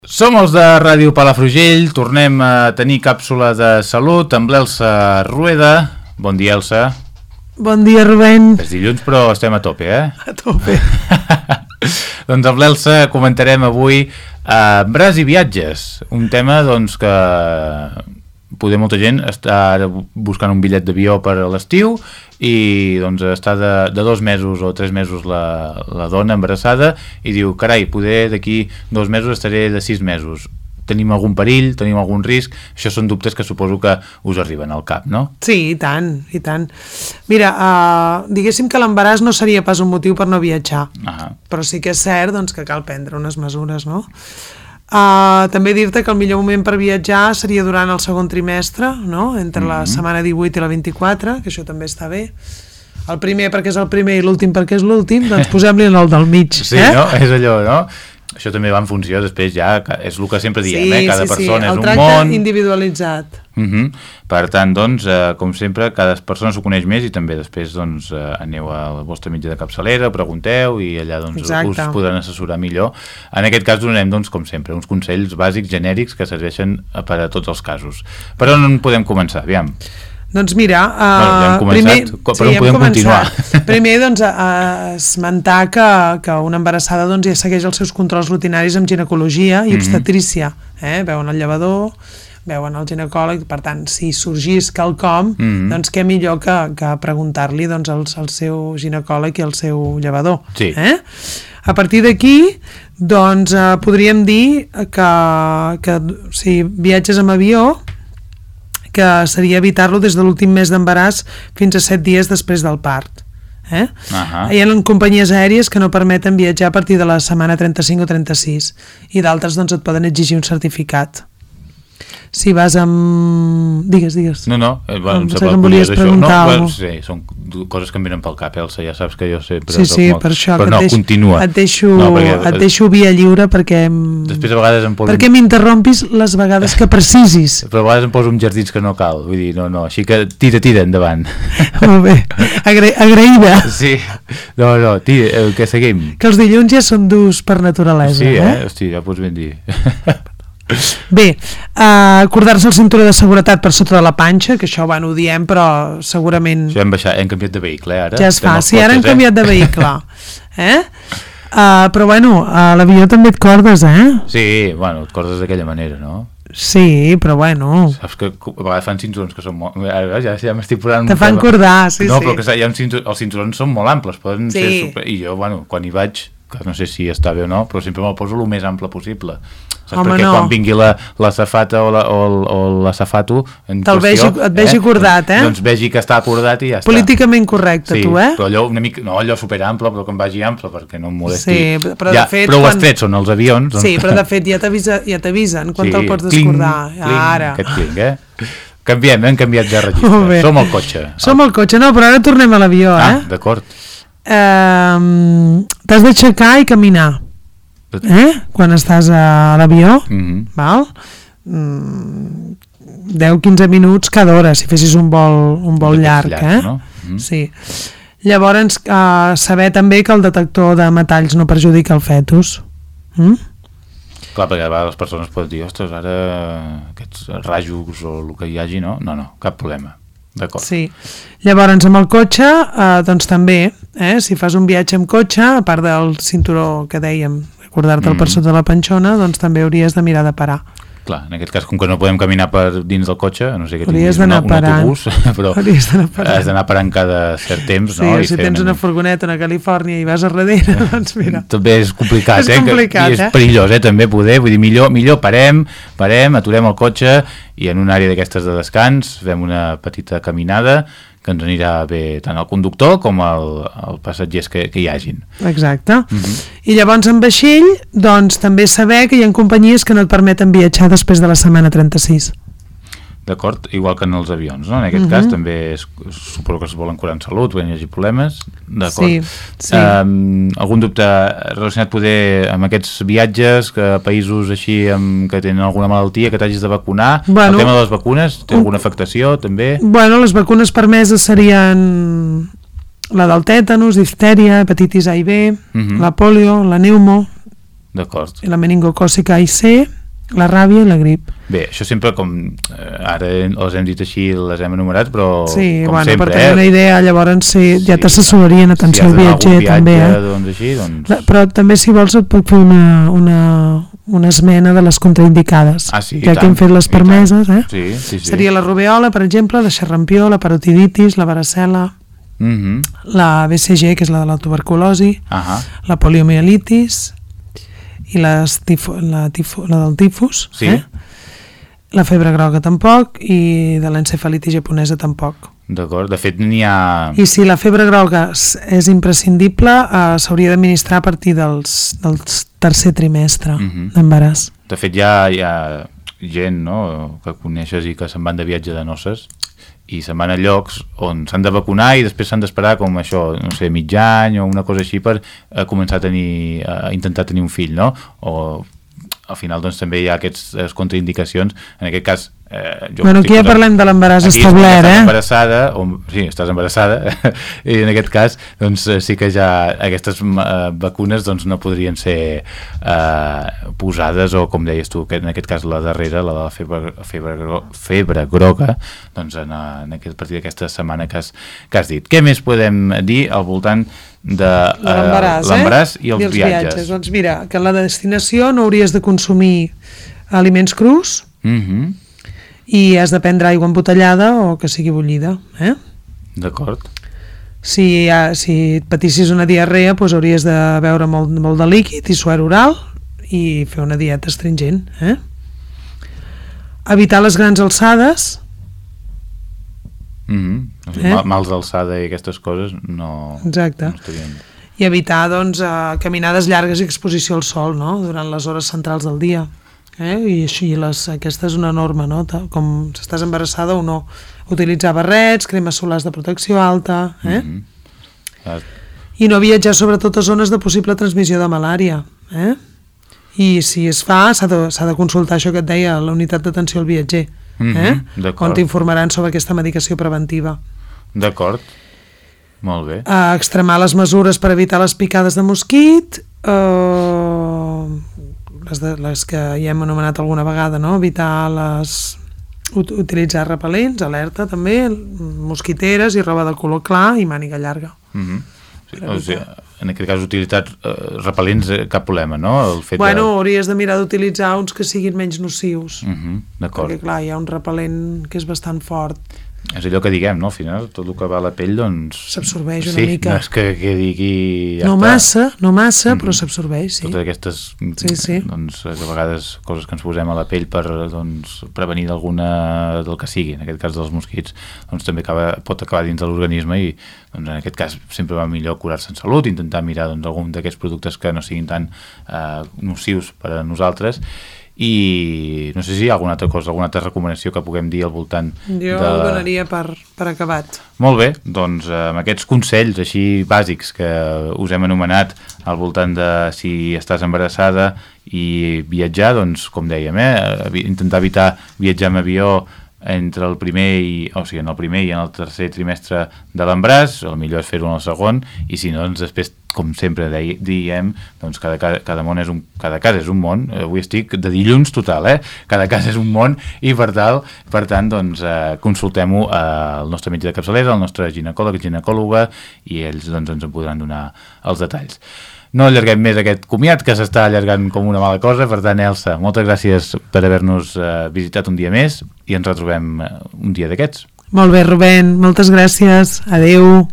Som els de Ràdio Palafrugell, tornem a tenir càpsula de salut amb l'Elsa Rueda. Bon dia, Elsa. Bon dia, Rubén. És dilluns, però estem a tope, eh? A tope. Doncs amb l'Elsa comentarem avui embaràs i viatges, un tema doncs que poder molta gent està buscant un bitllet d'avió per a l'estiu i doncs està de 2 mesos o 3 mesos la dona embarassada i diu, carai, poder d'aquí 2 mesos estaré de 6 mesos. Tenim algun perill, tenim algun risc? Això són dubtes que suposo que us arriben al cap, no? Sí, i tant, i tant. Mira, diguéssim que l'embaràs no seria pas un motiu per no viatjar, però sí que és cert doncs, que cal prendre unes mesures, no? També dir-te que el millor moment per viatjar seria durant el segon trimestre, no? Entre la setmana 18 i la 24, que això també està bé. El primer perquè és el primer i l'últim perquè és l'últim, doncs posem-li en el del mig. Sí, no? És allò, no? Això també va en funció, després ja, és el que sempre diem, cada persona és un món. El tracte individualitzat. Per tant, doncs, com sempre, cada persona s'ho coneix més i també després doncs, aneu al vostre mitjà de capçalera, pregunteu i allà doncs, us podran assessorar millor. En aquest cas donem, doncs, com sempre, uns consells bàsics, genèrics, que serveixen per a tots els casos. Per on podem començar? Aviam. Doncs mira, ja hem començat, per on podem continuar? Primer, doncs, esmentar que una embarassada doncs, ja segueix els seus controls rutinaris amb ginecologia i obstetrícia. Veuen el llevador, veuen el ginecòleg, per tant, si sorgís quelcom, doncs què millor que preguntar-li doncs, al seu ginecòleg i al seu llevador. Sí. A partir d'aquí, doncs, podríem dir que si viatges amb avió, que seria evitar-lo des de l'últim mes d'embaràs fins a 7 dies després del part. Hi ha companyies aèries que no permeten viatjar a partir de la setmana 35 o 36 i d'altres doncs, et poden exigir un certificat. Si vas amb... Digues. No, em volies preguntar alguna cosa. Sí, són coses que em venen pel cap, Elsa, ja saps que jo sempre... Sí, per això, però continua. Et deixo via lliure perquè... Després a vegades em poso... Perquè m'interrompis les vegades que precisis. Però a vegades em poso uns jardins que no cal, vull dir, no, així que tira endavant. Molt bé, agraïda. Sí, no, tira, que seguim. Que els dilluns ja són durs per naturalesa. Sí, hosti, ja pots ben dir. Bé, acordar-se el cinturó de seguretat per sota de la panxa, que això ho diem, però segurament... Això hem canviat de vehicle, ara. Ja es fa, sí, ara hem canviat de vehicle. Però bueno, a l'avió també et cordes, Sí, bueno, et cordes d'aquella manera, no? Sí, però bueno... Saps que a vegades fan cinturons que són molt... Ja m'estic posant... Te fan cordar, sí. No, però que els cinturons són molt amples, poden ser super... I jo, bueno, quan hi vaig, que no sé si està bé o no, però sempre me'l poso el més ample possible. Saps? Perquè quan vingui l'azafata o l'azafato en qüestió... Et vegi cordat, Doncs vegi que està cordat i ja està. Políticament correcte, tu, però allò una mica... No, allò superample, però que em vagi ample, perquè no em molesti. Sí, però de fet... Prou estrets són els avions. Sí, però de fet ja t'avisen quan te'l pots descordar. Ara. Aquest cling, Canviem, hem canviat de registre. Som al cotxe. Som al cotxe, no, però ara tornem a l'avió, d'acord. T'has d'aixecar i caminar. Quan estàs a l'avió, val? 10-15 minuts cada hora, si fessis un vol llarg, no? Sí. Llavors, saber també que el detector de metalls no perjudica el fetus. Clar, perquè a vegades les persones poden dir, ostres, ara aquests rajos o el que hi hagi, no, cap problema. D'acord. Sí. Llavors, amb el cotxe, doncs també, si fas un viatge amb cotxe, a part del cinturó que dèiem, recordar-te'l per sota de la panxona, doncs també hauries de mirar de parar. Clar, en aquest cas, com que no podem caminar per dins del cotxe, a no sé que tinguis un autobús, però has d'anar parant cada cert temps. Sí, si tens una furgoneta a Califòrnia i vas a darrere, doncs mira. També és complicat, i és perillós, també poder, vull dir, millor parem, aturem el cotxe i en una àrea d'aquestes de descans fem una petita caminada que ens anirà bé tant al conductor com al passatgers que hi hagin. Exacte. I llavors en vaixell, doncs també saber que hi ha companyies que no et permeten viatjar després de la setmana 36. D'acord? Igual que en els avions, no? En aquest cas també suposo que es volen curar en salut, quan hi hagi problemes. D'acord. Sí. Algun dubte relacionat poder amb aquests viatges, que països així que tenen alguna malaltia, que t'hagis de vacunar? El tema de les vacunes, té alguna afectació també? Bueno, les vacunes permeses serien la del tètanus, diftèria, hepatitis A i B, la polio, la pneumo, D'acord. La meningocòcica A i C, la ràbia i la grip. Bé, això sempre com ara els hem dit així, les hem enumerat, però sí, com bueno, sempre, per tenir una idea, llavors ja t'assessorarien, atenció al viatger, també. Doncs així, doncs... Però també, si vols, et puc fer una esmena de les contraindicades. Sí, ja que hem fet les permeses, Sí. Seria la rubeola, per exemple, la xerrampió, la parotiditis, la varicel·la, la BCG, que és la de la tuberculosi, la poliomielitis i la del tifus, la febre groga tampoc, i de l'encefalitis japonesa tampoc. D'acord, de fet n'hi ha... I si la febre groga és imprescindible, s'hauria d'administrar a partir del tercer trimestre d'embaràs. De fet hi ha gent, no?, que coneixes i que se'n van de viatge de noces i se'n van a llocs on s'han de vacunar i després s'han d'esperar com això, no sé, mig any o una cosa així per començar a intentar tenir un fill, no? O al final doncs també hi ha aquestes contraindicacions, en aquest cas aquí ja parlem de l'embaràs establert, embarassada, sí, estàs embarassada i en aquest cas doncs sí que ja aquestes vacunes doncs no podrien ser posades, o com deies tu, en aquest cas la darrera, la de la febre groga, doncs a partir d'aquesta setmana que has dit. Què més podem dir al voltant de l'embaràs i els viatges? Doncs mira, que a la destinació no hauries de consumir aliments crus, i has de prendre aigua embotellada o que sigui bullida. D'acord. Si et patissis una diarrea, doncs hauries de beure molt de líquid i suer oral i fer una dieta astringent. Evitar les grans alçades. Mals d'alçada i aquestes coses no... Exacte. No estarien... I evitar doncs, caminades llargues i exposició al sol, no?, durant les hores centrals del dia. I així aquesta és una norma, no?, com si estàs embarassada o no. Utilitzar barrets, cremes solars de protecció alta, i no viatjar sobretot a zones de possible transmissió de malària, i si es fa s'ha de consultar això que et deia, la unitat d'atenció al viatger, on t'informaran sobre aquesta medicació preventiva. D'acord, molt bé. Extremar les mesures per evitar les picades de mosquit, les que ja hem anomenat alguna vegada, no? Evitar utilitzar repel·lents, alerta també, mosquiteres i roba de color clar i màniga llarga. O sigui, en aquest cas utilitzar repel·lents, cap problema, no? Hauries de mirar d'utilitzar uns que siguin menys nocius, d'acord. perquè clar, hi ha un repel·lent que és bastant fort. És allò que diguem, no? Al final, tot el que va a la pell, doncs... s'absorbeix una mica. Sí, no és que quedi aquí... No massa, però s'absorbeix, sí. Totes aquestes, doncs, a vegades, coses que ens posem a la pell per prevenir del que sigui, en aquest cas dels mosquits, doncs també pot acabar dins de l'organisme i, doncs, en aquest cas, sempre va millor curar-se en salut, intentar mirar algun d'aquests productes que no siguin tan nocius per a nosaltres. I no sé si hi ha alguna altra recomanació que puguem dir al voltant jo ho donaria per acabat. Molt bé, doncs amb aquests consells així bàsics que us hem anomenat al voltant de si estàs embarassada i viatjar, doncs com dèiem, intentar evitar viatjar amb avió entre el primer en el primer i en el tercer trimestre de l'embaràs, el millor és fer-ho en el segon, i si no, doncs després, com sempre diem, doncs cada cas és un món. Avui estic de dilluns total, cada cas és un món, i per tant, doncs, consultem-ho al nostre metge de capçalera, al nostre ginecòloga, i ells doncs, ens en podran donar els detalls. No allarguem més aquest comiat, que s'està allargant com una mala cosa. Per tant, Elsa, moltes gràcies per haver-nos visitat un dia més i ens retrobem un dia d'aquests. Molt bé, Rubén, moltes gràcies. Adéu.